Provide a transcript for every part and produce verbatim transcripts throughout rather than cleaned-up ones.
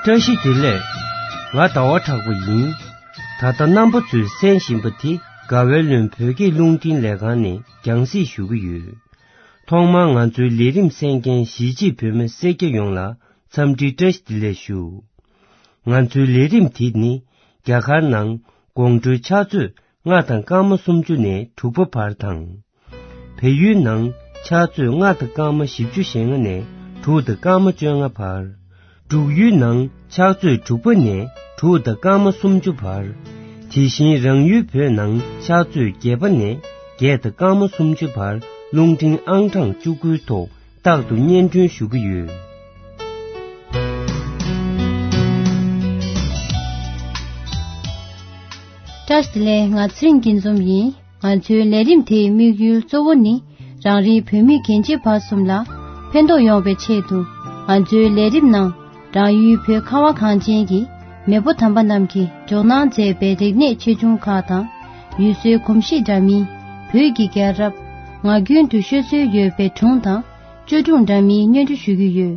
བཀྲ་ཤིས་བདེ་ལེགས། ང་ཟླ་བ་གྲགས་པ་ཡིན། ད་ལྟ་རྣམ་པ་ཚོས་གསན་བཞིན་པ་དེ་དགའ་བའི་ལུང་བོད་སྐད་རླུང་འཕྲིན་ལས་ཁང་ནས་རྒྱང་སྲིང་ཞུ་གི་ཡོད། ཐོག་མར་ང་ཚོའི་ལས་རིམ་གསན་མཁན་གཞིས་བྱེས་བོད་མི་སེར་སྐྱ་ཡོངས་ལ་འཚམས་འདྲི་བཀྲ་ཤིས་བདེ་ལེགས་ཞུ། ང་ཚོའི་ལས་རིམ་དེ་ནི་རྒྱ་གར་ནང་དགོང་དྲོའི་ཕྱག་ཚོད་ལྔ་དང་སྐར་མ་སུམ་ཅུ་ནས་དྲུག་པ་བར་དང་། བལ་ཡུལ་ནང་ཕྱག་ཚོད་ལྔ་དང་སྐར་མ་བཞི་བཅུ་ཞེ་ལྔ་ནས་དྲུག་དང་སྐར་མ་བཅོ་ལྔ་བར། འབྲུག་ཡུལ་ནང་ཕྱག་ཚོད་དྲུག་པ་ནས་དྲུག་དང་སྐར་མ་སུམ་ཅུ་བར། དེ་བཞིན་རང་ཡུལ་བོད་ནང་ཕྱག་ཚོད་བརྒྱད་པ་ནས་བརྒྱད་དང་སྐར་མ་སུམ་ཅུ་བར་རླུང་འཕྲིན་ཨང་གྲངས་བཅུ་དགུའི་ཐོག་རྟག་ཏུ་སྙན་སྒྲོན་ཞུ་གི་ཡོད། བཀྲ་ཤིས་བདེ་ལེགས། ང་ཚེ་རིང་སྐྱིད་འཛོམས་ཡིན། ང་ཚོའི་ལས་རིམ་དེའི་དམིགས་ཡུལ་གཙོ་བོ་ནི་རང་རེའི་བོད་མི་རྒན་བྱིས་བར་གསུམ་ལ་ཕན་ཐོགས་ཡོང་བའི་ཆེད་དུ། ང་ཚོའི་ལས་རིམ་ནང་རང་ཡུལ་བོད་ཁ་བ་གངས་ཅན་གྱི་མེས་པོ་དམ་པ་རྣམས་ཀྱིས་འཇོག་གནང་མཛད་པའི་རིག་གནས་ཆེ་ཆུང་ཁག་དང་། ཡུལ་སྲོལ་གོམས་གཤིས་འདྲ་མིན། བོད་ཀྱི་རྒྱལ་རབས། ངག་རྒྱུན་དུ་ཤོད་སྲོལ་ཡོད་པའི་སྒྲུང་དང་བཅོས་སྒྲུང་འདྲ་མིན་སྙན་སྒྲོན་ཞུ་གི་ཡོད།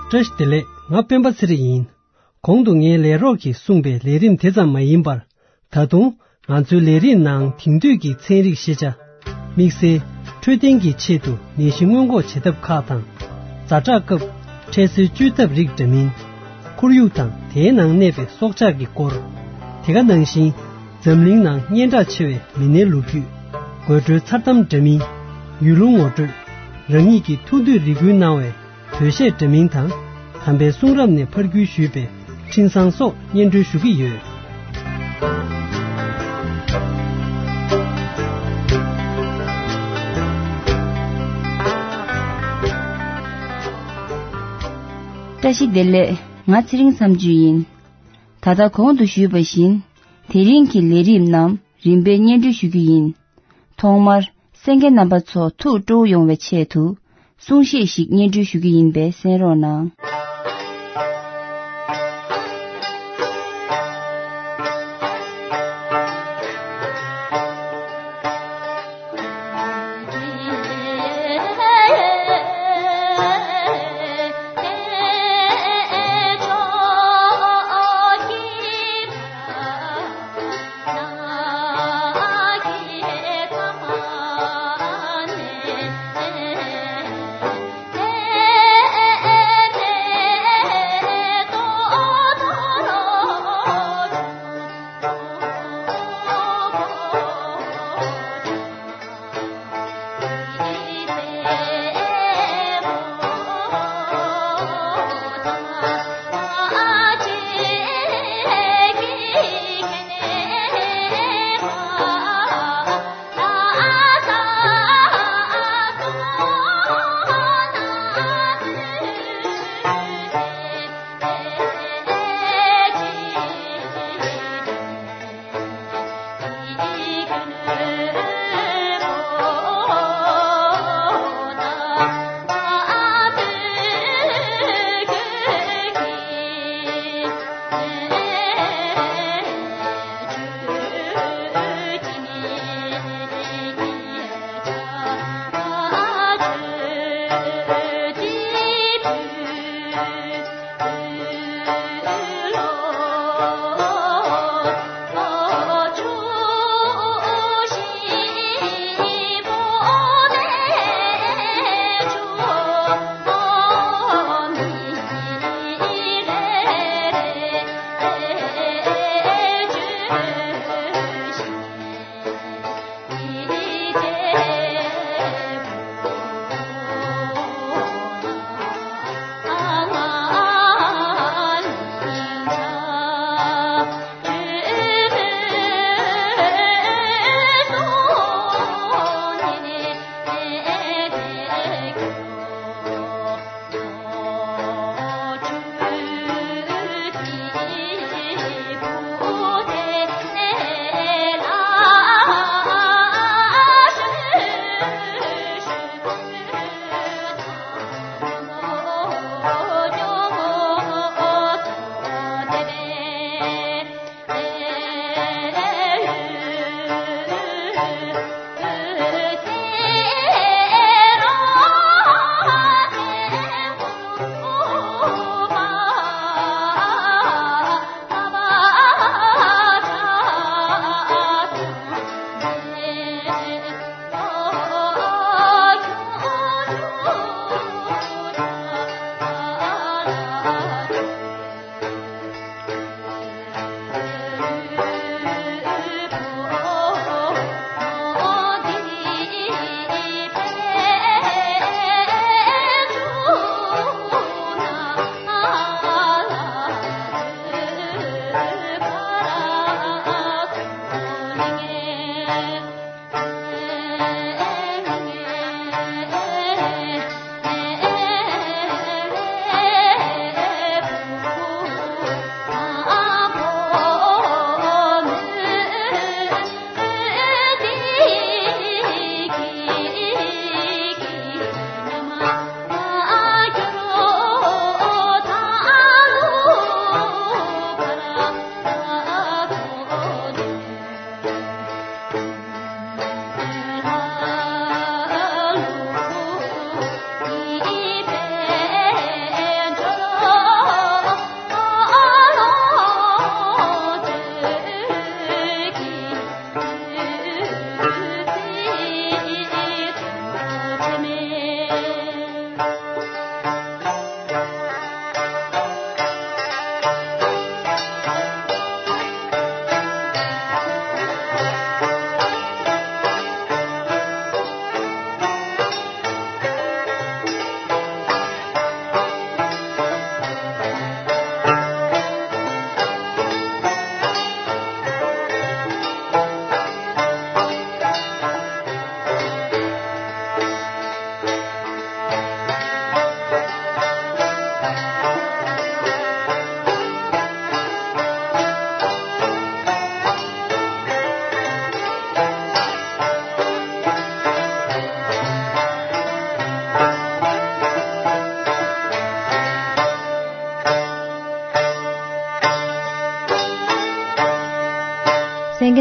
བཀྲ་ཤིས་བདེ་ལེགས། ང་སྤེན་པ་ཚེ་རིང་ཡིན། གོང་དུ་ངའི་ལས་རོགས་ཀྱིས་གསུངས་པའི་ལས་རིམ་དེ་ཙམ་མ་ཡིན་པར། ད་དུང་ང་ཚོའི་ལས་རིམ་ནང་དེང་དུས་ཀྱི་ཚན་རིག་ཤེས་བྱ། དམིགས་བསལ་འཕྲོད་བསྟེན་གྱི་ཆེད་དུ་ནད་གཞི་སྔོན་འགོག་བྱེད་ཐབས་ཁག་དང་། ཛ་དྲག་སྐབས་འཕྲལ་སེལ་བཅོས་ཐབས་རིགས་འདྲ་མིན། ཁོར་ཡུག་དང་དེའི་ནང་གནས་པའི་སྲོག་ཆགས་ཀྱི་སྐོར། དེ་ག་ནང་བཞིན་འཛམ་གླིང་ནང་སྙན་གྲགས་ཆེ་བའི་མི་སྣའི་ལོ་རྒྱུས། དགོད་བྲོའི་མཚར་གཏམ་འདྲ་མིན། ཡུལ་ལུང་ངོ་སྤྲོད། རང་ཉིད་ཀྱི་ཐུགས་འདོད་རེ་སྐུལ་གནང་བའི་བོད་གཞས་འདྲ་མིན་དང་། དམ་པའི་གསུང་རབ་ནས་ཕར་བརྒྱུད་ཞུས་པའི་འཕྲིན་བཟང་སོགས་སྙན་སྒྲོན་ཞུ་གི་ཡོད། བཀྲ་ཤིས་བདེ་ལེགས། ང་ཚེ་རིང་མཚམས་གཅོད་ཡིན། ད་ལྟ་གོང་དུ་ཞུས་པ་བཞིན། དེ་རིང་གི་ལས་རིམ་རྣམས་རིམ་པས་སྙན་སྒྲོན་ཞུ་རྒྱུ་ཡིན། ཐོག་མར། གསན་མཁན་རྣམ་པ་ཚོ་ཐུགས་སྤྲོ་བོ་ཡོང་བའི་ཆེད་དུ། གསུང་བཤད་ཞིག་སྙན་སྒྲོན་ཞུ་རྒྱུ་ཡིན་པས་གསན་རོགས་གནང་།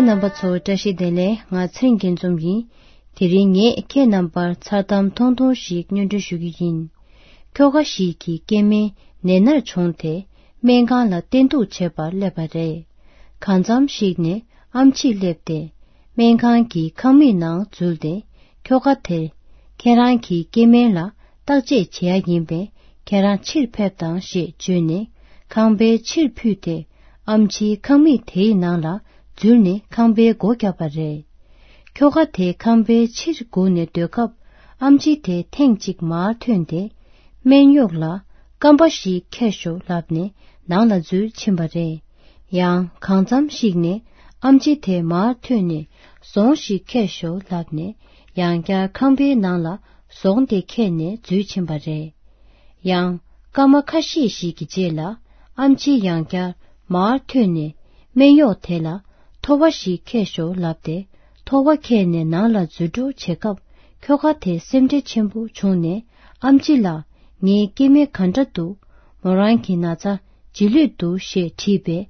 རྣམ་པ་ཚོ་བཀྲ་ཤིས་བདེ་ལེགས། ང་ཚེ་རིང་སྐྱིད་འཛོམས་ཡིན། དེ་རིང་ངས་ཁྱེད་རྣམ་པར་མཚར་གཏམ་ཐུང་ཐུང་ཞིག་སྙན་སྒྲོན་ཞུ་གི་ཡིན། ཁྱོ་ག་ཞིག་གི་སྐྱེ་དམན་ནད་མནར་བྱུང་སྟེ་སྨན་ཁང་ལ་བསྟེན་གཏུགས་བྱེད་པར་སླེབས་པ་རེད། གང་འཚམ་ཞིག་ནས་ཨམ་ཆི་སླེབས་ཏེ་སྨན་ཁང་གི་ཁང་མིག་ནང་འཛུལ་ཏེ། ཁྱོ་ག་དེར། ཁྱེད་རང་གི་སྐྱེ་དམན་ལ་བརྟག་དཔྱད་བྱེད་ཡ་ཡིན་པས་ཁྱེད་རང་ཕྱིར་ཕེབས་དང་ཞེས་བརྗོད་ནས་ཁང་པའི་ཕྱིར་ཕུད་དེ་ཨམ་ཆིའི་ཁང་མིག་དེའི་ནང་ལ་འཛུལ་ནས་ཁང་པའི་སྒོ་བརྒྱབ་པ་རེད། ཁྱོ་ག་དེ་ཁང་པའི་ཕྱིར་སྒུག་ནས་སྡོད་སྐབས་ཨམ་ཆི་དེ་ཐེངས་གཅིག་མར་ཐོན་ཏེ། སྨན་གཡོག་ལ་སྐམ་པ་ཞིག་ཁྱེར་ཤོག་ལབ་ནས་ནང་ལ་འཛུལ་ཕྱིན་པ་རེད། ཡང་གང་འཚམ་ཞིག་ནས་ཨམ་ཆི་དེ་མར་ཐོན་ནས་ཟོང་ཞིག་ཁྱེར་ཤོག་ལབ་ནས་ཡང་བསྐྱར་ཁང་པའི་ནང་ལ་ཟོང་དེ་ཁྱེར་ནས་འཛུལ་ཕྱིན་པ་རེད། ཡང་སྐར་མ་ཁ་ཤས་ཤིག་གི་རྗེས་ལ་ཨམ་ཆི་ཡང་བསྐྱར་མར་ཐོན་ནས་སྨན་གཡོག་དེ་ལ་ཐོ་བ་ཞིག་ཁྱེར་ཤོག་ལབ་སྟེ་ཐོ་བ་ཁྱེར་ནས་ནང་ལ་འཛུལ་འགྲོ་བྱེད་སྐབས་ཁྱོ་ག་དེ་སེམས་ཁྲལ་ཆེན་པོ་བྱུང་ནས་ཨམ་ཆི་ལགས། ངའི་སྐྱེ་དམན་ག་འདྲ་འདུག་མོ་རང་གི་ན་ཚ་ཇེ་ལྷོད་འདུག་ཞེས་དྲིས་པས།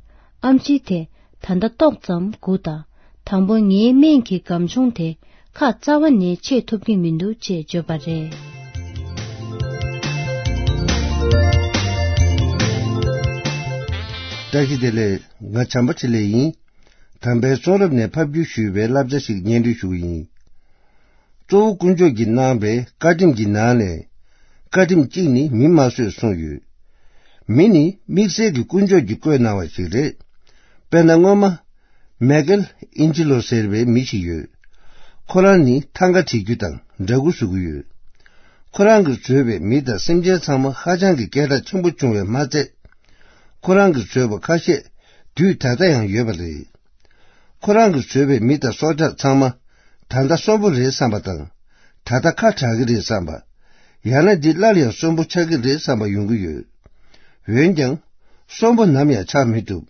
ཨམ་ཆི་དེ་ད་ལྟ་ཏོག་ཙམ་སྒུག་དང་། དང་པོ་ངའི་སྨན་གྱི་སྒམ་ཆུང་དེ་ཁ་རྩ་བ་ནས་ཕྱེ་ཐུབ་ཀྱི་མི་འདུག་ཅེས་བརྗོད་པ་རེད། བཀྲ་ཤིས་བདེ་ལེགས། ང་བྱམས་པ་ཆེ་ལེགས་ཡིན། དམ་པའི་གསུང་རབ་ནས་ཕབ་བསྒྱུར་ཞུས་པའི་བསླབ་བྱ་ཞིག་སྙན་སྒྲོན་ཞུ་གི་ཡིན། གཙོ་བོ་དཀོན་མཆོག་གིས་གནང་བའི་བཀའ་ཁྲིམས་ཀྱི་ནང་ནས། བཀའ་ཁྲིམས་གཅིག་ནི་མི་མ་གསོད་གསུངས་ཡོད། མི་ནི་དམིགས་བསལ་གྱི་དཀོན་མཆོག་གིས་བཀོད་གནང་བ་ཞིག་རེད། དཔེར་ན་སྔོན་མ། མེ་ཀེལ་ཨིན་ཇི་ལོ་ཟེར་བའི་མི་ཞིག་ཡོད། ཁོ་རང་ནི་ཐང་ག་བྲིས་རྒྱུ་དང་འདྲ་སྐུ་བཟོ་གི་ཡོད། ཁོ་རང་གིས་བཟོས་པའི་མི་དང་སེམས་ཅན་ཚང་མ་ཧ་ཅང་གི་སྐད་གྲགས་ཆེན་པོ་བྱུང་བས་མ་ཚད། ཁོ་རང་གིས་བཟོས་པ་ཁ་ཤས་དུས་ད་ལྟ་ཡང་ཡོད་པ་རེད། ཁོ་རང་གིས་བཟོས་པའི་མི་དང་སྲོག་ཆགས་ཚང་མ་ད་ལྟ་གསོན་པོ་རེད་བསམ་པ་དང་། ད་ལྟ་ཁ་གྲག་གི་རེད་བསམ་པ། ཡང་ན་འདི་སླར་ཡང་གསོན་པོ་ཆགས་ཀྱི་རེད་བསམ་པ་ཡོང་གི་ཡོད། འོན་ཀྱང་། གསོན་པོ་ནམ་ཡང་ཆགས་མི་ཐུབ།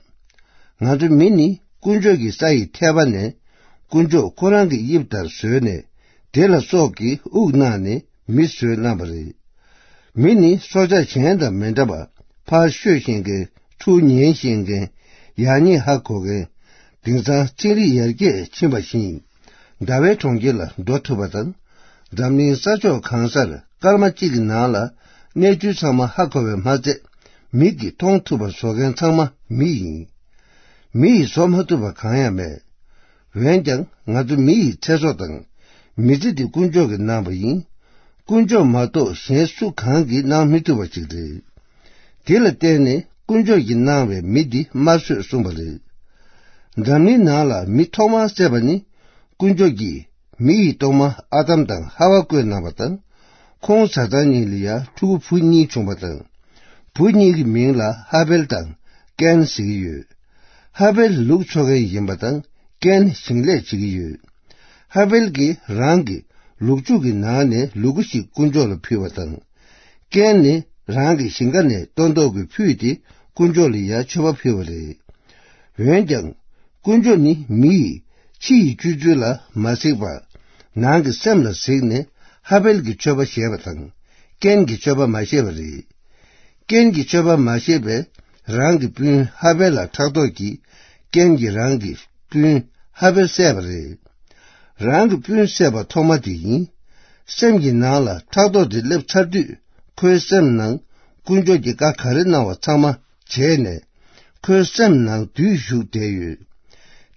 ང་ཚོ་མི་ནི་དཀོན་མཆོག་གི་ས་ཡི་ཐལ་བ་ནས། དཀོན་མཆོག་ཁོ་རང་གི་དབྱིབས་ལྟར་བཟོས་ནས། དེ་ལ་སྲོག་གི་དབུགས་གནང་ནས། མི་བཟོས་གནང་བ་རེད། མི་ནི་སྲོག་ཆགས་གཞན་དང་མི་འདྲ་བར་ཕར་ཤོད་ཤེས་མཁན། ཚུར་ཉན་ཤེས་མཁན། ཡག་ཉེས་ཧ་གོ་མཁན། དེང་སང་ཚན་རིག་ཡར་རྒྱས་ཕྱིན་པ་བཞིན་ཟླ་བའི་གྲོང་ཁྱེར་ལ་འགྲོ་ཐུབ་པ་དང་། འཛམ་གླིང་ས་ཕྱོགས་གང་སར་སྐར་མ་གཅིག་གི་ནང་ལ་གནས་ཚུལ་ཚང་མ་ཧ་གོ་བས་མ་ཚད། མིག་གིས་མཐོང་ཐུབ་པ་བཟོ་མཁན་ཚང་མ་མི་ཡིན། མི་ཡིས་བཟོ་མ་ཐུབ་པ་གང་ཡང་མེད། འོན་ཀྱང་ང་ཚོ་མི་ཡི་ཚེ་སྲོག་དང་མི་ཚེ་འདི་དཀོན་མཆོག་གིས་གནང་བ་ཡིན། དཀོན་མཆོག་མ་གཏོགས་གཞན་སུ་གང་གིས་གནང་མི་ཐུབ་པ་ཞིག་རེད། དེ་ལ་བརྟེན་ནས་དཀོན་མཆོག་གིས་གནང་བའི་མི་འདི་དམར་གསོད་གསུངས་པ་རེད། འཛམ་གླིང་ནང་ལ་མི་ཐོག་མར་བསད་པ་ནི་དཀོན་མཆོག་གིས་མི་ཡི་སྟོང་མ་ཨ་དམ་དང་ཧ་ཝ་བཀོད་གནང་བ་དང་། ཁོང་བཟའ་ཚང་གཉིས་ལ་ཡང་ཕྲུ་གུ་བུ་གཉིས་བྱུང་བ་དང་། བུ་གཉིས་ཀྱི་མིང་ལ་ཧ་བེལ་དང་ཀན་ཟེར་གྱི་ཡོད། ཧ་བེལ་ལུག་འཚོ་མཁན་ཡིན་པ་དང་ཀན་ཞིང་ལས་བྱེད་ཀྱི་ཡོད། ཧ་བེལ་གྱིས་རང་གི་ལུག་ཕྱུགས་ཀྱི་ནང་ནས་ལུ་གུ་ཞིག་དཀོན་མཆོག་ལ་ཕུལ་བ་དང་། ཀན་ནི་རང་གི་ཞིང་ཁ་ནས་སྟོན་ཐོག་གི་ཕུད་དེ་དཀོན་མཆོག་ལ་ཡང་མཆོད་པ་ཕུལ་བ་རེད། འོན་ཀྱང་། དཀོན་མཆོག་ནི་མི་ཡི་ཕྱི་ཡི་སྤྱོད་ཚུལ་ལ་མ་གཟིགས་པར། ནང་གི་སེམས་ལ་གཟིགས་ནས་ཧ་བེལ་གྱི་མཆོད་པ་བཞེས་པ་དང་། ཀན་གྱི་མཆོད་པ་མ་བཞེས་པ་རེད། ཀན་གྱི་མཆོད་པ་མ་བཞེས་པས་རང་གི་སྤུན་ཧ་བེལ་ལ་ཕྲག་དོག་གིས་ཀན་གྱིས་རང་གི་སྤུན་ཧ་བེལ་བསད་པ་རེད། རང་གི་སྤུན་བསད་པ་ཐོག་མ་དེ་ཡིན། སེམས་ཀྱི་ནང་ལ་ཕྲག་དོག་དེ་སླེབས་ཚར་དུས་ཁོའི་སེམས་ནང་དཀོན་མཆོག་གིས་བཀའ་ག་རེ་གནང་བ་ཚང་མ་བྱས་ནས། ཁོའི་སེམས་ནང་བདུད་ཞུགས་བསྡད་ཡོད།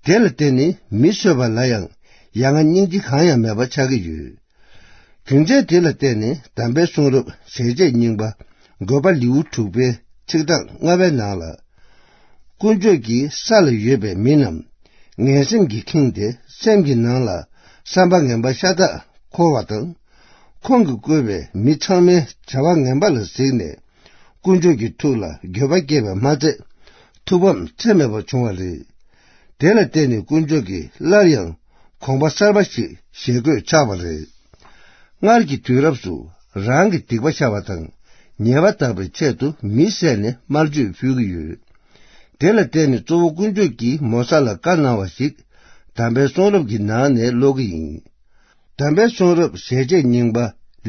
དེ་ལ་བརྟེན་ནས་མི་གསོད་པ་ལ་ཡང་ཡ་ང་སྙིང་རྗེ་གང་ཡང་མེད་པ་ཆགས་ཀྱི་ཡོད། རྒྱུ་མཚན་དེ་ལ་བརྟེན་ནས་དམ་པའི་གསུང་རབ་ཞལ་ཆད་རྙིང་པ་འགོད་པ་ལེའུ་དྲུག་པའི་ཚིག་གྲངས་ལྔ་པའི་ནང་ལ། དཀོན་མཆོག་གིས་ས་ལ་ཡོད་པའི་མི་རྣམས་ངན་སེམས་ཀྱིས་ཁེངས་ཏེ་སེམས་ཀྱི་ནང་ལ་བསམ་པ་ངན་པ་ཤ་སྟག་འཁོར་བ་དང་། ཁོང་གིས་བཀོད་པའི་མི་ཚང་མའི་བྱ་བ་ངན་པ་ལ་གཟིགས་ནས། དཀོན་མཆོག་གི་ཐུགས་ལ་འགྱོད་པ་སྐྱེས་པས་མ་ཚད། ཐུགས་ཕམ་ཚད་མེད་པ་བྱུང་བ་རེད། དེ་ལ་བརྟེན་ནས་དཀོན་མཆོག་གིས་སླར་ཡང་དགོངས་པ་གསར་པ་ཞིག་བཞེས་དགོས་ཆགས་པ་རེད། སྔར་གྱི་དུས་རབས་སུ་རང་གི་སྡིག་པ་བཤགས་པ་དང་ཉེས་པ་དག་པའི་ཆེད་དུ་མི་བསད་ནས་དམར་མཆོད་ཕུལ་གྱི་ཡོད། དེ་ལ་བརྟེན་ནས་གཙོ་བོ་དཀོན་མཆོག་གིས་མོ་ས་ལ་བཀའ་གནང་བ་ཞིག་དམ་པའི་གསུང་རབ་ཀྱི་ནང་ནས་ཀློག་གི་ཡིན། དམ་པའི་གསུང་རབ་ཞལ་ཆད་རྙིང་པ་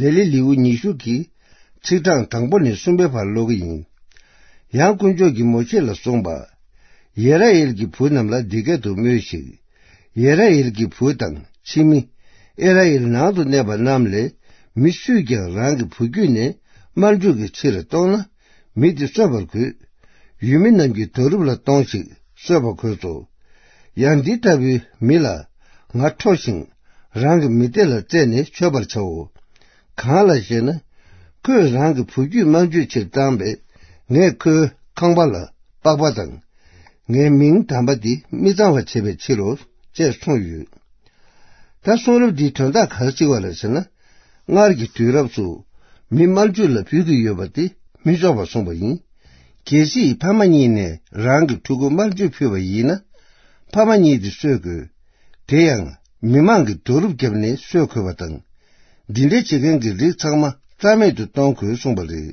ལེ་ལི་ལེའུ་ཉི་ཤུ་གི་ཚིག་གྲངས་དང་པོ་ནས་གསུམ་པའི་བར་ཀློག་གི་ཡིན། ཡང་དཀོན་མཆོག་གིས་མོ་ཤེ་ལ་གསུངས་པ། ཡེས་ར་ཨེལ་གྱི་བུ་རྣམས་ལ་འདི་སྐད་དུ་སྨྲོས་ཤིག། ཡེས་ར་ཨེལ་གྱི་བུ་དང་ཕྱི་མི། ཨི་ར་ཨེལ་ནང་དུ་གནས་པ་རྣམས་ལས་མི་སུས་ཀྱང་རང་གི་བུ་རྒྱུད་ནས་དམར་འཇུག་གི་ཕྱིར་གཏོང་ན། མི་དེ་གསོད་པར་དགོས། ཡུལ་མི་རྣམས་ཀྱི་རྡོ་རུབ་ལ་གཏོང་ཞིག་གསོད་པར་དགོས་སོ། ཡང་འདི་ལྟ་བུའི་མི་ལ་ང་ཁྲོ་ཞིང་། རང་གི་མི་སྡེ་ལ་རྩད་ནས་ཆོད་པར་བྱའོ། གང་ལ་ཞེ་ན། ཁོས་རང་གི་བུ་རྒྱུད་དམར་འཇུག་ཕྱིར་བཏང་བས། ངས་ཁོའི་ཁང་པ་ལ་པགས་པ་དང་། ངའི་མིང་དམ་པ་འདི་མི་གཙང་བར་བྱེད་པའི་ཕྱིར་རོ། ཅེས་གསུངས་ཡོད། ད་གསུང་རབ་འདིའི་དོན་དག་ག་རེ་གཅིག་པ་ལ་ཟེར་ན། སྔར་གྱི་དུས་རབས་སུ་མི་དམར་མཆོད་ལ་ཕུལ་གྱི་ཡོད་པ་དེ་མི་ཆོག་པར་གསུངས་པ་ཡིན། གལ་སྲིད་ཕ་མ་གཉིས་ནས་རང་གི་ཕྲུ་གུ་དམར་མཆོད་ཕུལ་བ་ཡིན་ན། ཕ་མ་གཉིས་དེ་གསོད་དགོས། དེ་ཡང་མི་མང་གིས་རྡོ་རུབ་བརྒྱབ་ནས་གསོད་དགོས་པ་དང་། འདི་འདྲ་བྱེད་མཁན་གྱི་རིགས་ཚང་མ་རྩ་མེད་དུ་གཏོང་དགོས་གསུངས་པ་རེད།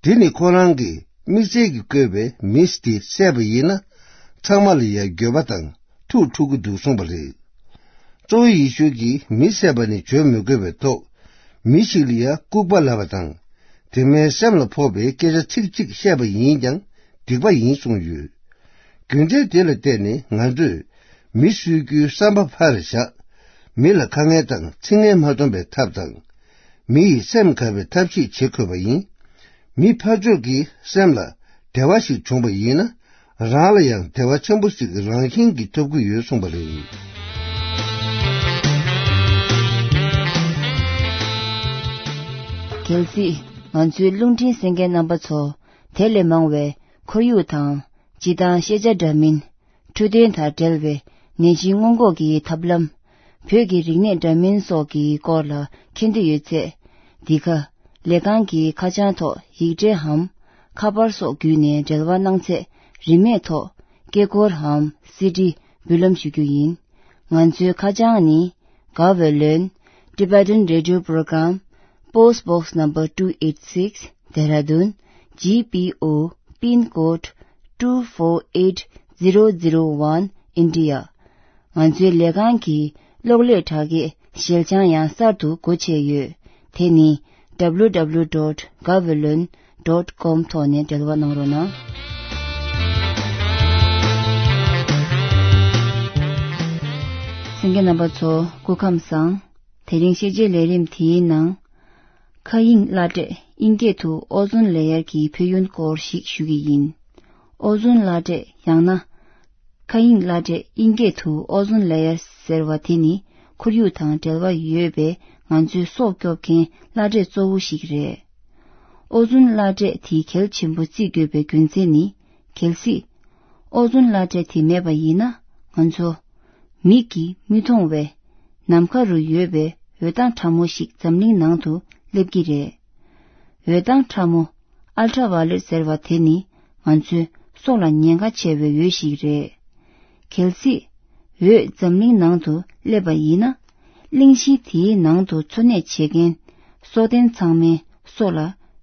དེ་ནི་ཁོ་རང་གིས་དམིགས་བསལ་གྱིས་བསྐོས་པའི་མི་དེ་བསད་པ་ཡིན་ན། ཚང་མ་ལ་ཡང་འགྱོད་པ་དང་ཐུགས་འཁྲུག་གི་འདུག་གསུངས་པ་རེད། གཙོ་བོ་ཡེ་ཤུ་གིས་མི་བསད་པ་ནི་བརྗོད་མི་དགོས་པའི་ཐོག་མི་ཞིག་ལ་ཡང་ལྐུགས་པ་ལབ་པ་དང་། དེ་མིན་སེམས་ལ་ཕོག་པའི་སྐད་ཆ་ཚིག་གཅིག་བཤད་པ་ཡིན་ཀྱང་སྡིག་པ་ཡིན་གསུངས་ཡོད། རྒྱུ་མཚན་དེ་ལ་བརྟེན་ནས་ང་ཚོས་མི་གསོད་རྒྱུའི་བསམ་པ་ཕར་བཞག་མི་ལ་དཀའ་ངལ་དང་ཚིག་ངན་མ་གཏོང་པའི་ཐབས་དང་། མི་ཡི་སེམས་དགའ་བའི་ཐབས་ཤེས་བྱེད་དགོས་པ་ཡིན། མི་ཕར་ཕྱོགས་ཀྱི་སེམས་ལ་བདེ་བ་ཞིག་བྱུང་བ་ཡིན་ན། རང་ལ་ཡང་བདེ་བ་ཆེན་པོ་ཞིག་རང་བཞིན་གྱིས་ཐོབ་ཀྱི་ཡོད་གསུངས་པ་རེད། གལ་སྲིད་ང་ཚོའི་རླུང་འཕྲིན་གསན་མཁན་རྣམ་པ་ཚོ་དེ་ལས་མང་བའི་ཁོར་ཡུག་དང་། སྤྱི་དང་ཤེས་བྱ་འདྲ་མིན། འཕྲོད་བསྟེན་དང་འབྲེལ་བའི་ནད་གཞི་སྔོན་འགོག་གི་ཐབས་ལམ། བོད་ཀྱི་རིག་གནས་འདྲ་མིན་སོགས་ཀྱི་སྐོར་ལ་མཁྱེན་འདོད་ཡོད་ཚེ། འདི་ག་ལས་ཁང་གི་ཁ་བྱང་ཐོག་ཡིག་འབྲེལ་འམ། ཁ་པར་སོགས་བརྒྱུད་ནས་འབྲེལ་བ་གནང་ཚེ། རིན་མེད་ཐོག་སྐད་འཁུར་འམ། སི་ཌི་འབུལ་ལམ་ཞུ་རྒྱུ་ཡིན། ང་ཚོའི་ཁ་བྱང་ནི། Gaweylon Tibetan Radio Program, Post Box Number two eight six, Dehradun, G P O, Pin Code two four eight zero zero one, India. ང་ཚོའི་ལས་ཁང་གི་གློག་ཀླད་དྲ་རྒྱའི་ཞལ་བྱང་ཡང་གསར་དུ་སྒོ་ཕྱེ་ཡོད། དེ་ནི་W W W dot gaweylon dot com ཐོག་ནས་འབྲེལ་བ་གནང་རོགས་གནང་། གསན་མཁན་རྣམ་པ་ཚོ་སྐུ་ཁམས་བཟང་། དེ་རིང་ཤེས་བྱའི་ལས་རིམ་དེའི་ནང་། མཁའ་དབྱིངས་བླ་བྲེ་དབྱིན་སྐད་དུ་ཨོ་ཛོན་ལེ་ཡར་གྱི་ཕན་ཡོན་སྐོར་ཞིག་ཞུ་གི་ཡིན། ཨོ་ཛོན་བླ་བྲེ་ཡང་ན། མཁའ་དབྱིངས་བླ་བྲེ་དབྱིན་སྐད་དུ་ཨོ་ཛོན་ལེ་ཡར་ཟེར་བ་དེ་ནི་ཁོར་ཡུག་དང་འབྲེལ་བ་ཡོད་པའི་ང་ཚོའི་སྲོག་སྐྱོབ་མཁན་བླ་བྲེ་གཙོ་བོ་ཞིག་རེད། ཨོ་ཛོན་བླ་བྲེ་དེ་གལ་ཆེན་པོ་བརྩི་དགོས་པའི་རྒྱུ་མཚན་ནི། གལ་སྲིད་ཨོ་ཛོན་བླ་བྲེ་དེ་མེད་པ་ཡིན་ན། ང་ཚོ་མིག་གིས་མི་མཐོང་བའི་ནམ་མཁའ་རུ་ཡོད་པའི་འོད་མདངས་ཕྲ་མོ་ཞིག་འཛམ་གླིང་ནང་དུ་སླེབས་ཀྱི་རེད། འོད་མདངས་ཕྲ་མོ། ཨལ་ཊྲ་ཝ་ལེཊ་ཟེར་བ་དེ་ནི་ང་ཚོའི་སྲོག་ལ་ཉེན་ཁ་ཆེ་བའི་འོད་ཞིག་རེད། གལ་སྲིད་འོད་འཛམ་གླིང་ནང་དུ་སླེབས་པ་ཡིན་ན། གླིང་བཞི་དེའི་ནང་དུ་འཚོ་གནས་བྱེད་མཁན་སྲོག་ལྡན་ཚང་མའི་སྲོག་ལ་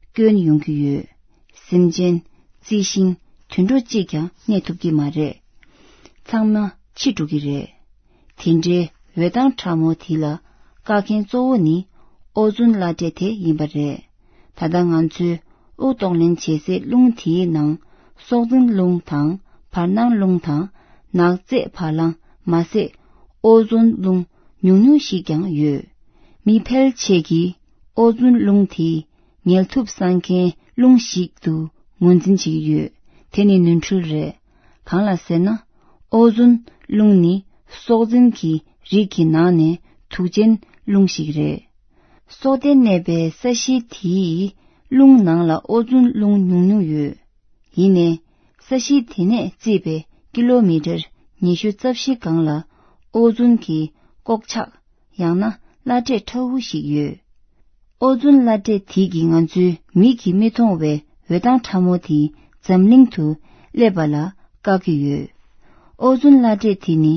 སྐྱོན་ཡོང་གི་ཡོད། སེམས་ཅན། རྩི་ཤིང་། དུད་འགྲོ་གཅིག་ཀྱང་གནས་ཐུབ་ཀྱི་མ་རེད། ཚང་མ་འཆི་འགྲོ་གི་རེད། དེ་འདྲའི་འོད་མདངས་ཕྲ་མོ་དེ་ལ་བཀག་མཁན་གཙོ་བོ་ནི་ཨོ་ཛོན་བླ་བྲེ་དེ་ཡིན་པ་རེད། ད་ལྟ་ང་ཚོའི་དབུགས་གཏོང་ལེན་བྱེད་སའི་རླུང་དེའི་ནང་སྲོག་འཛིན་རླུང་དང་བར་སྣང་རླུང་དང་ནག་རྫས་བ་ལང་མ་ཟད་ཨོ་ཛོན་རླུང་ཉུང་ཉུང་ཞིག་ཀྱང་ཡོད། མི་ཕལ་ཆེར་གྱིས་ཨོ་ཛོན་རླུང་དེ་ངལ་དུབ་སངས་མཁན་རླུང་ཞིག་ཏུ་ངོས་འཛིན་བྱེད་ཀྱི་ཡོད། དེ་ནི་ནོར་འཁྲུལ་རེད། གང་ལ་ཟེར་ན། ཨོ་ཛོན་རླུང་ནི་སྲོག་འཛིན་གྱི་རིགས་ཀྱི་ནང་ནས་དུག་ཅན་རླུང་ཞིག་རེད། སྲོག་ལྡན་གནས་པའི་ས་གཞི་དེའི་རླུང་ནང་ལ་ཨོ་ཛོན་རླུང་ཉུང་ཉུང་ཡོད། ཡིན་ནའི། ས་གཞི་དེ་ནས་བརྩིས་པའི་ཀི་ལོ་མི་ཊར་ཉི་ཤུ་རྩ་བཞི་སྒང་ལ་ཨོ་ཛོན་གྱི་ལྐོག་ཆག་ཡང་ན་བླ་བྲེ་ཁྲ་བོ་ཞིག་ཡོད། ཨོ་ཛོན་བླ་བྲེ་དེ་གིས་ང་ཚོའི་མིག་གིས་མི་མཐོང་བའི་འོད་མདངས་ཕྲ་མོ་དེ་འཛམ་གླིང་དུ་སླེབས་པ་ལ་བཀག་གི་ཡོད། ཨོ་ཛོན་བླ་བྲེ་དེ་ནི་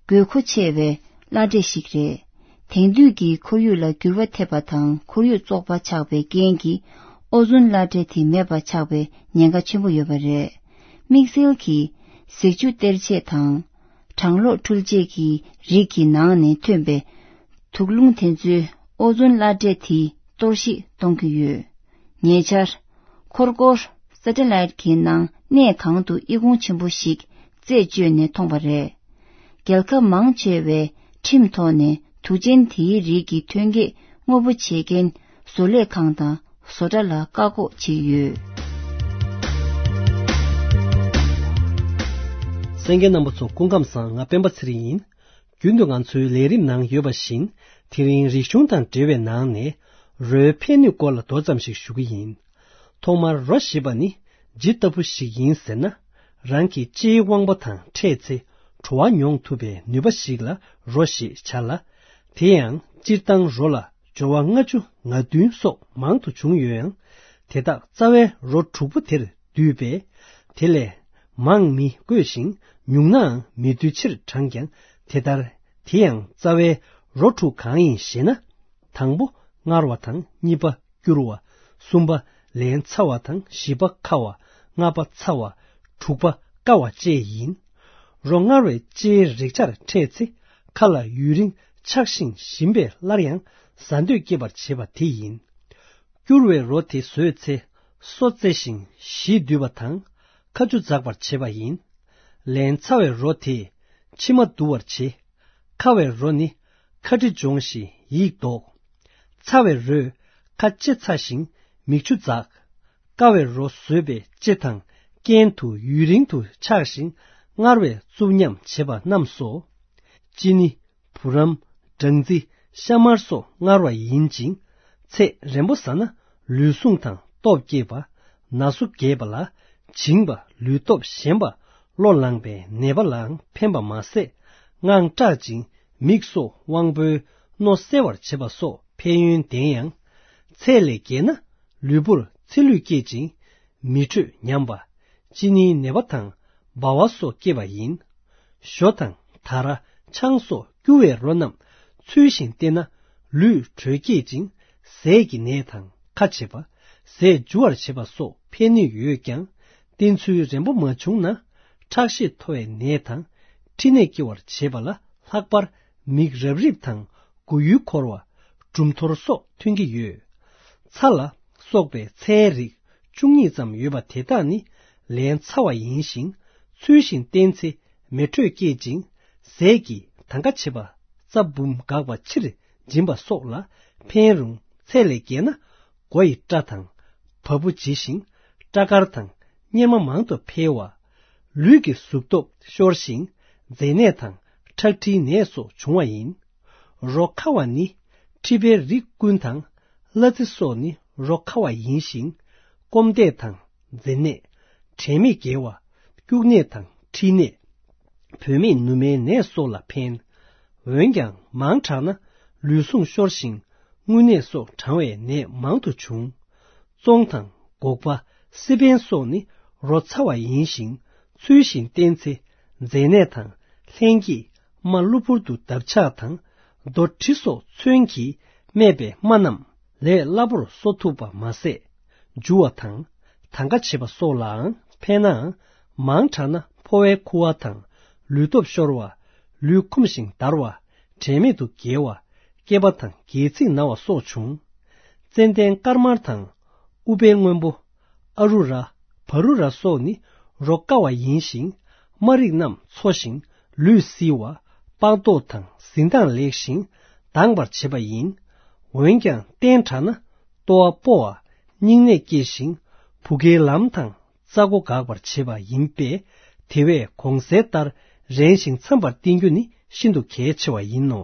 དགོས་མཁོ་ཆེ་བའི་བླ་བྲེ་ཞིག་རེད། དེང་དུས་ཀྱི་ཁོར་ཡུག་ལ་འགྱུར་བ་ཐེབས་པ་དང་ཁོར་ཡུག་བཙོག་པ་ཆགས་པའི་རྐྱེན་གྱིས་ཨོ་ཛོན་བླ་བྲེ་དེ་མེད་པ་ཆགས་པའི་ཉེན་ཁ་ཆེན་པོ་ཡོད་པ་རེད། དམིགས་བསལ་གྱིས་གཟེགས་ཆུ་གཏེར་ཆས་དང་། གྲང་གློག་འཕྲུལ་ཆས་ཀྱི་རིགས་ཀྱི་ནང་ནས་ཐོན་པའི་དུག་རླུང་དེ་ཚོས་ཨོ་ཛོན་བླ་བྲེ་དེ་གཏོར་བཤིག་གཏོང་གི་ཡོད། ཉེ་ཆར། འཁོར་སྐོར་སེ་ཊེ་ལའེ་ཊི་གི་ནང་གནས་གང་དུ་ཨི་ཁུང་ཆེན་པོ་ཞིག་རྩད་གཅོད་ནས་མཐོང་པ་རེད། རྒྱལ་ཁབ་མང་ཆེ་བས་ཁྲིམས་ཐོག་ནས་དུག་ཅན་དེའི་རིགས་ཀྱི་ཐོན་སྐྱེད་དངོས་པོ་བྱེད་མཁན་བཟོ་ལས་ཁང་དང་བཟོ་གྲྭ་ལ་བཀག་འགོག་བྱས་ཡོད། གསན་མཁན་རྣམ་པ་ཚོ་སྐུ་ཁམས་བཟང་། ང་སྤེན་པ་ཚེ་རིང་ཡིན། རྒྱུན་དུ་ང་ཚོའི་ལས་རིམ་ནང་ཡོད་པ་བཞིན་དེ་རིང་རིག་གཞུང་དང་འབྲེལ་བའི་ནང་ནས་རོའི་ཕན་ནུས་སྐོར་ལ་མདོ་ཙམ་ཞིག་ཞུ་གི་ཡིན། ཐོག་མར་རོ་ཞེས་པ་ནི་ཇི་ལྟ་བུ་ཞིག་ཡིན་ཟེར་ན། རང་གི་ལྕེའི་དབང་པོ་དང་འཕྲད་ཚེ་བྲོ་བ་མྱོང་ཐུབ་པའི་ནུས་པ་ཞིག་ལ་རོ་ཞེས་བྱ་ལ། དེ་ཡང་སྤྱིར་བཏང་རོ་ལ་སྦྱོར་བ་ལྔ་བཅུ་ང་བདུན་སོགས་མང་དུ་བྱུང་ཡོད་ཡང་། དེ་དག་རྩ་བའི་རོ་དྲུག་པོ་དེར་འདུས་པས། དེ་ལས་མང་མི་དགོས་ཤིང་ཉུང་ནའང་མི་འདུས་ཕྱིར་བགྲངས་ཀྱང་དེ་ལྟར། དེ་ཡང་རྩ་བའི་རོ་དྲུག་གང་ཡིན་ཞེ་ན། དང་པོ་མངར་བ་དང་། གཉིས་པ་སྐྱུར་བ། གསུམ་པ་ལན་ཚྭ་བ་དང་། བཞི་པ་ཁ་བ། ལྔ་པ་ཚ་བ། དྲུག་པ་བསྐ་བ་བཅས་ཡིན། རོ་མངར་བའི་ལྕེའི་རེག་བྱར་འཕྲད་ཚེ་ཁ་ལ་ཡུན་རིང་ཆགས་ཤིང་ཞིམ་པས་སླར་ཡང་ཟ་འདོད་སྐྱེད་པར་བྱེད་པ་དེ་ཡིན། སྐྱུར་བའི་རོ་དེ་ཟོས་ཚེ་སོ་བཙེ་ཞིང་གཞིས་འདུས་པ་དང་ཁ་ཆུ་འཛག་པར་བྱེད་པ་ཡིན། ལན་ཚྭ་བའི་རོ་དེས་མཆིལ་མ་འདུ་བར་བྱེད། ཁ་བའི་རོ་ནི་ཁ་དྲི་སྦྱོང་ཞིང་ཡིད་ལྡོག། ཚ་བའི་རོས་ཁ་ལྕེ་ཚ་ཞིང་མིག་ཆུ་འཛག། བསྐ་བའི་རོ་ཟོས་པས་ལྕེ་དང་རྐན་དུ་ཡུན་རིང་དུ་ཆགས་ཤིང་མངར་བའི་རྩུབ་ཉམས་བྱེད་པ་རྣམས་སོ། ཅི་ནི། བུ་རམ། སྦྲང་རྩི། ཤ་མར་སོགས་མངར་བ་ཡིན་ཅིང་། ཚད་རན་པོ་ཟ་ན་ལུས་ཟུངས་དང་སྟོབས་སྐྱེད་པ། ན་ཟུག་རྒྱས་པ་ལ་བྱིང་བ། ལུས་སྟོབས་ཞན་པ། གློ་ལངས་པའི་ནད་པ་ལའང་ཕན་པ་མ་ཟད། དངངས་སྐྲག་ཅིང་མིག་སོགས་དབང་པོའི་རྣོ་གསལ་བར་བྱེད་པ་སོགས་ཕན་ཡོན་ལྡན་ཡང་། ཚད་ལས་བརྒལ་ན་ལུས་པོར་ཚེ་ལུས་སྐྱེད་ཅིང་། མི་འཕྲོད་ཉམས་པ། གཅིན་སྙིའི་ནད་པ་དང་ལྦ་བ་སོགས་སྐྱེ་བ་ཡིན། ཞོ་དང་དར། ཆང་སོགས་སྐྱུར་བའི་རོ་རྣམས་ཚུལ་བཞིན་བསྟེན་ན་ལུས་དྲོད་སྐྱེད་ཅིང་ཟས་ཀྱི་ནད་དང་ཁ་བྱེད་པ། ཟས་འཇུ་བར་བྱེད་པ་སོགས་ཕན་ནུས་ཡོད་ཀྱང་བསྟེན་ཚུལ་རན་པོ་མ་བྱུང་ན་ཁྲག་ཤེད་མཐོ་བའི་ནད་དང་མཁྲིས་ནད་སྐྱེ་བར་བྱེད་པ་ལ་ལྷག་པར་མིག་རབ་རིབ་དང་མགོ་ཡུ་འཁོར་བ། གྲུམ་ཐོར་སོགས་ཐོན་གྱི་ཡོད། ཚྭ་ལ་སོགས་པའི་ཚྭའི་རིགས་བཅུ་གཉིས་ཙམ་ཡོད་པ་དེ་དག་ནི་ལན་ཚྭ་བ་ཡིན་ཞིང་ཚུལ་བཞིན་བསྟེན་ཚེ་མེ་དྲོད་སྐྱེད་ཅིང་ཟས་ཀྱི་དང་ག་བྱེད་པ་རྩ་འབུམ་འགག་པ་ཕྱིར་འབྱིན་པ་སོགས་ལ་ཕན་རུང་ཚད་ལས་བརྒལ་ན་མགོ་ཡི་སྐྲ་དང་བ་སྤུ་འབྱི་ཞིང་སྐྲ་དཀར་དང་གཉེར་མ་མང་དུ་འཕེལ་བ། ལུས་ཀྱི་གཟུགས་སྟོབས་ཤོར་ཞིང་མཛེ་ནད་དང་ཁྲག་མཁྲིས་ནད་སོགས་འབྱུང་བ་ཡིན། རོ་ཁ་བ་ནི་མཁྲིས་པའི་རིགས་ཀུན་དང་གླ་རྩི་སོགས་ནི་རོ་ཁ་བ་ཡིན་ཞིང་། སྐོམ་དད་དང་མཛེ་ནད། དྲན་མེད་འགྱེལ་བ། སྐྱུག་ནད་དང་མཁྲིས་ནད། བུད་མེད་ནུ་མའི་ནད་སོགས་ལ་ཕན། འོན་ཀྱང་མང་དྲགས་ན་ལུས་ཟུངས་ཤོར་ཞིང་རྔུལ་ནད་སོགས་གྲང་བའི་ནད་མང་དུ་འབྱུང་། ཙོང་དང་སྒོག་པ། སི་པན་སོགས་ནི་རོ་ཚ་བ་ཡིན་ཞིང་ཚུལ་བཞིན་བསྟེན་ཚེ་མཛེ་ནད་དང་ལྷན་སྐྱེས་རྨ་གློ་བུར་དུ་འདབ་ཆགས་དང་རྡོ་གྲི་སོགས་མཚོན་གྱིས་རྨས་པའི་རྨ་རྣམས་ལས་སླ་པོར་གསོ་ཐུབ་པ་མ་ཟད། འཇུ་བ་དང་དང་ག་བྱེད་པ་སོགས་ལའང་ཕན་ནའང་མང་དྲགས་ན་ཕོ་བའི་ཁུ་བ་དང་ལུས་སྟོབས་ཤོར་བ། ལུས་འཁུམས་ཤིང་འདར་བ། དྲན་མེད་དུ་འགྱེལ་བ། སྐེད་པ་དང་སྒལ་ཚིགས་ན་བ་སོགས་འབྱུང་། ཙན་དན་དཀར་དམར་དང་། ཨུཏྤལ་སྔོན་པོ། ཨ་རུ་ར། བ་རུ་ར་སོགས་ནི་རོ་བསྐ་བ་ཡིན་ཞིང་། རྨ་རིགས་རྣམས་འཚོ་ཞིང་ལུས་བསིལ་བ། པགས་མདོག་དང་གཟི་མདངས་ལེགས་ཤིང་དྭངས་པར་བྱེད་པ་ཡིན། འོན་ཀྱང་བསྟེན་དྲགས་ན་ལྟོ་བ་སྤོ་བ། སྙིང་ནད་སྐྱེ་ཞིང་བུ་གའི་ལམ་དང་རྩ་སྒོ་འགག་པར་བྱེད་པ་ཡིན་པས། དེ་བས་གོང་གསལ་ལྟར་རན་ཞིང་འཚམ་པར་བསྟེན་རྒྱུ་ནི་ཤིན་ཏུ་གལ་ཆེ་བ་ཡིན་ནོ།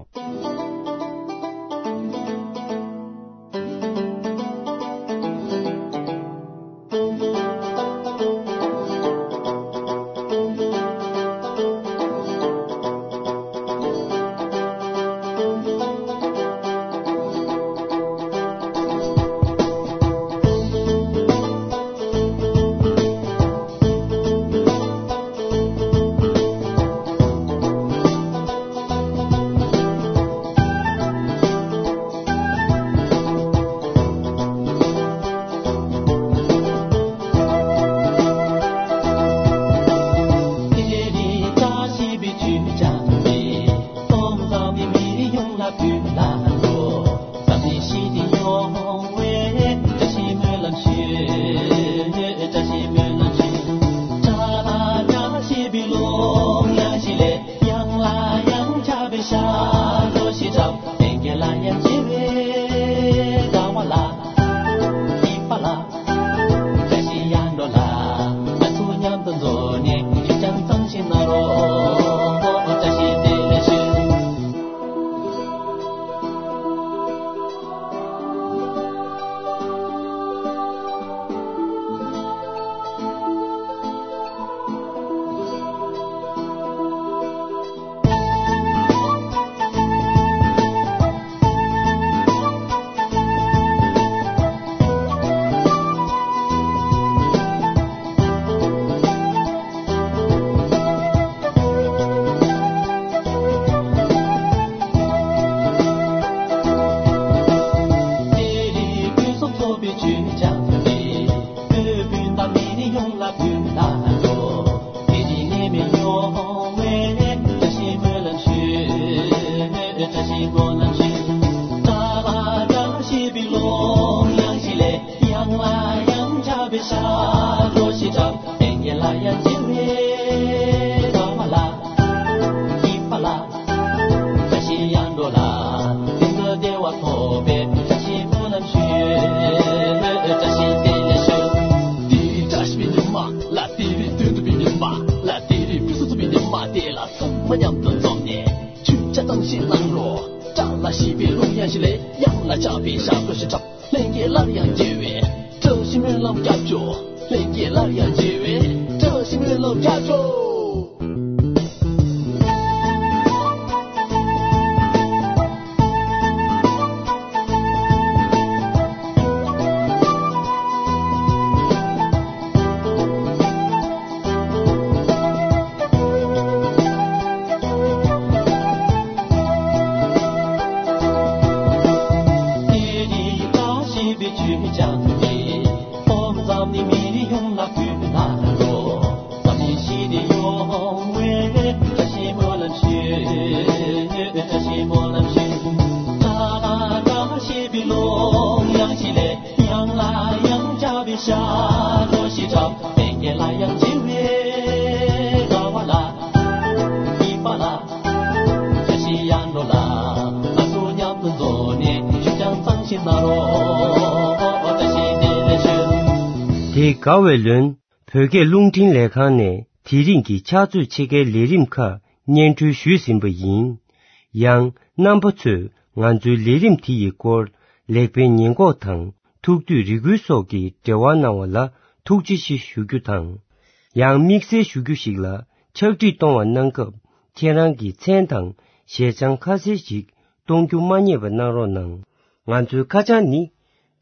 སླར་ཡང་མཇལ་བའི་བཀྲ་ཤིས་སྨོན་ལམ་རྒྱབ་སྐྱོར། ལྷན་རྒྱས་སླར་ཡང་མཇལ་བའི་བཀྲ་ཤིས་སྨོན་ལམ་རྒྱབ་སྐྱོར། དེ་དགའ་བའི་ལོན། བོད་སྐད་རླུང་འཕྲིན་ལས་ཁང་ནས་དེ་རིང་གི་ཕྱག་ཚོད་ཕྱེད་ཀའི་ལས་རིམ་ཁག་སྙན་སྒྲོན་ཞུས་ཟིན་པ་ཡིན། ཡང་རྣམ་པ་ཚོས་ང་ཚོའི་ལས་རིམ་དེ་ཡི་སྐོར་ལེགས་སྤེལ་ཉེས་འགོག་དང་ཐུགས་འདོད་རེ་སྐུལ་སོགས་ཀྱི་འབྲེལ་བ་གནང་བ་ལ་ཐུགས་རྗེ་ཆེ་ཞུ་རྒྱུ་དང་། ཡང་དམིགས་བསལ་ཞུ་རྒྱུ་ཞིག་ལ་ཕྱག་བྲིས་གཏོང་བ་གནང་སྐབས་ཁྱེད་རང་གི་མཚན་དང་ཞལ་བྱང་ཁ་གསལ་ཞིག་གཏོང་རྒྱུ་མ་བསྙེལ་བ་གནང་རོགས་གནང་། ང་ཚོའི་ཁ་བྱང་ནི།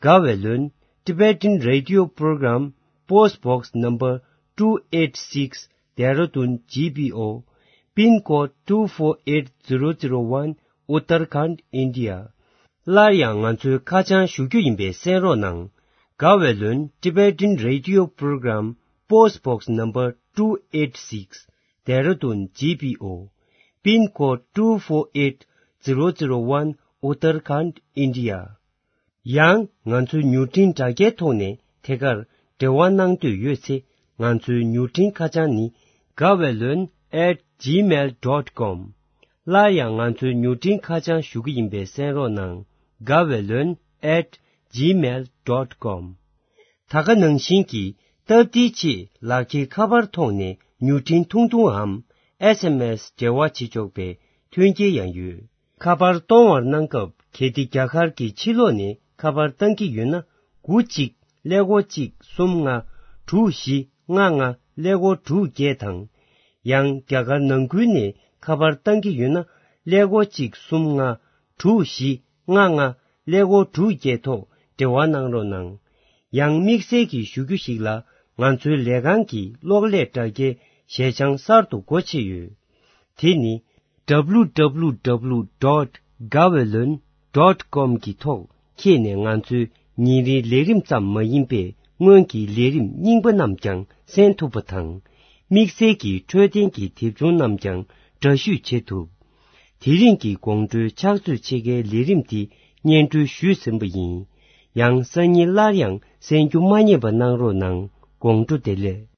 དགའ་བའི་ལོན། Tibetan Radio Program, Post Box Number two eight six, Dehradun G P O, Pin Code two four eight zero zero one, Uttarakhand, India. སླར་ཡང་ང་ཚོའི་ཁ་བྱང་ཞུ་རྒྱུ་ཡིན་པས་གསན་རོགས་གནང་། དགའ་བའི་ལོན། Tibetan Radio Program, Post Box Number two eight six, Dehradun G P O, Pin Code two four eight zero zero one, Uttarakhand, India. ཡང་ང་ཚོའི་མྱུར་འཕྲིན་དྲ་རྒྱའི་ཐོག་ནས་ཐད་ཀར་འབྲེལ་བ་གནང་འདོད་ཡོད་ཚེ། ང་ཚོའི་མྱུར་འཕྲིན་ཁ་བྱང་ནི། དགའ་བའི་ལོན་at gmail dot com། སླར་ཡང་ང་ཚོའི་མྱུར་འཕྲིན་ཁ་བྱང་ཞུ་གི་ཡིན་པས་གསན་རོགས་གནང་། དགའ་བའི་ལོན་at gmail dot com། ད་ག་ནང་བཞིན་གྱི་སྟབས་བདེའི་ཆེད་ལག་འཁྱེར་ཁ་པར་ཐོག་ནས་མྱུར་འཕྲིན་ཐུང་ཐུང་འམ་S M S འབྲེལ་བ་བྱེད་ཆོག་པའི་མཐུན་རྐྱེན་ཡང་ཡོད། ཁ་པར་གཏོང་བར་གནང་སྐབས། གལ་ཏེ་རྒྱ་གར་གྱི་ཕྱི་ལོགས་ནས་ཁ་པར་བཏང་གི་ཡོད་ན། དགུ་གཅིག་ཀླད་ཀོར་གཅིག་གསུམ་ལྔ་དྲུག་བཞི་ལྔ་ལྔ་ཀླད་ཀོར་དྲུག་བརྒྱད་དང་། ཡང་རྒྱ་གར་ནང་ཁུལ་ནས་ཁ་པར་བཏང་གི་ཡོད་ན། ཀླད་ཀོར་གཅིག་གསུམ་ལྔ་དྲུག་བཞི་ལྔ་ལྔ་ཀླད་ཀོར་དྲུག་བརྒྱད་ཐོག་འབྲེལ་བ་གནང་རོགས་གནང་། ཡང་དམིགས་བསལ་གྱི་ཞུ་རྒྱུ་ཞིག་ལ། ང་ཚོའི་ལས་ཁང་གི་གློག་ཀླད་དྲ་རྒྱའི་ཞལ་བྱང་གསར་དུ་སྒོ་ཕྱེ་ཡོད། དེ་ནི། W W W dot gaweylon dot com གི་ཐོག་འཁྱེར་ནས་ང་ཚོའི་ཉིན་རེའི་ལས་རིམ་ཙམ་མ་ཡིན་པའི་སྔོན་གྱི་ལས་རིམ་རྙིང་པ་རྣམས་ཀྱང་གསན་ཐུབ་པ་དང་། དམིགས་བསལ་གྱི་འཕྲོད་བསྟེན་གྱི་དེབ་ཆུང་རྣམས་ཀྱང་འདྲ་བཤུས་བྱེད་ཐུབ། དེ་རིང་གི་དགོང་དྲོའི་ཕྱག་ཚོད་ཕྱེད་ཀའི་ལས་རིམ་འདི་སྙན་སྒྲོན་ཞུས་ཟིན་པ་ཡིན། ཡང་སང་ཉིན་སླར་ཡང་གསན་རྒྱུ་མ་བསྙེལ་བ་གནང་རོགས་གནང་། དགོང་དྲོ་བདེ་ལེགས།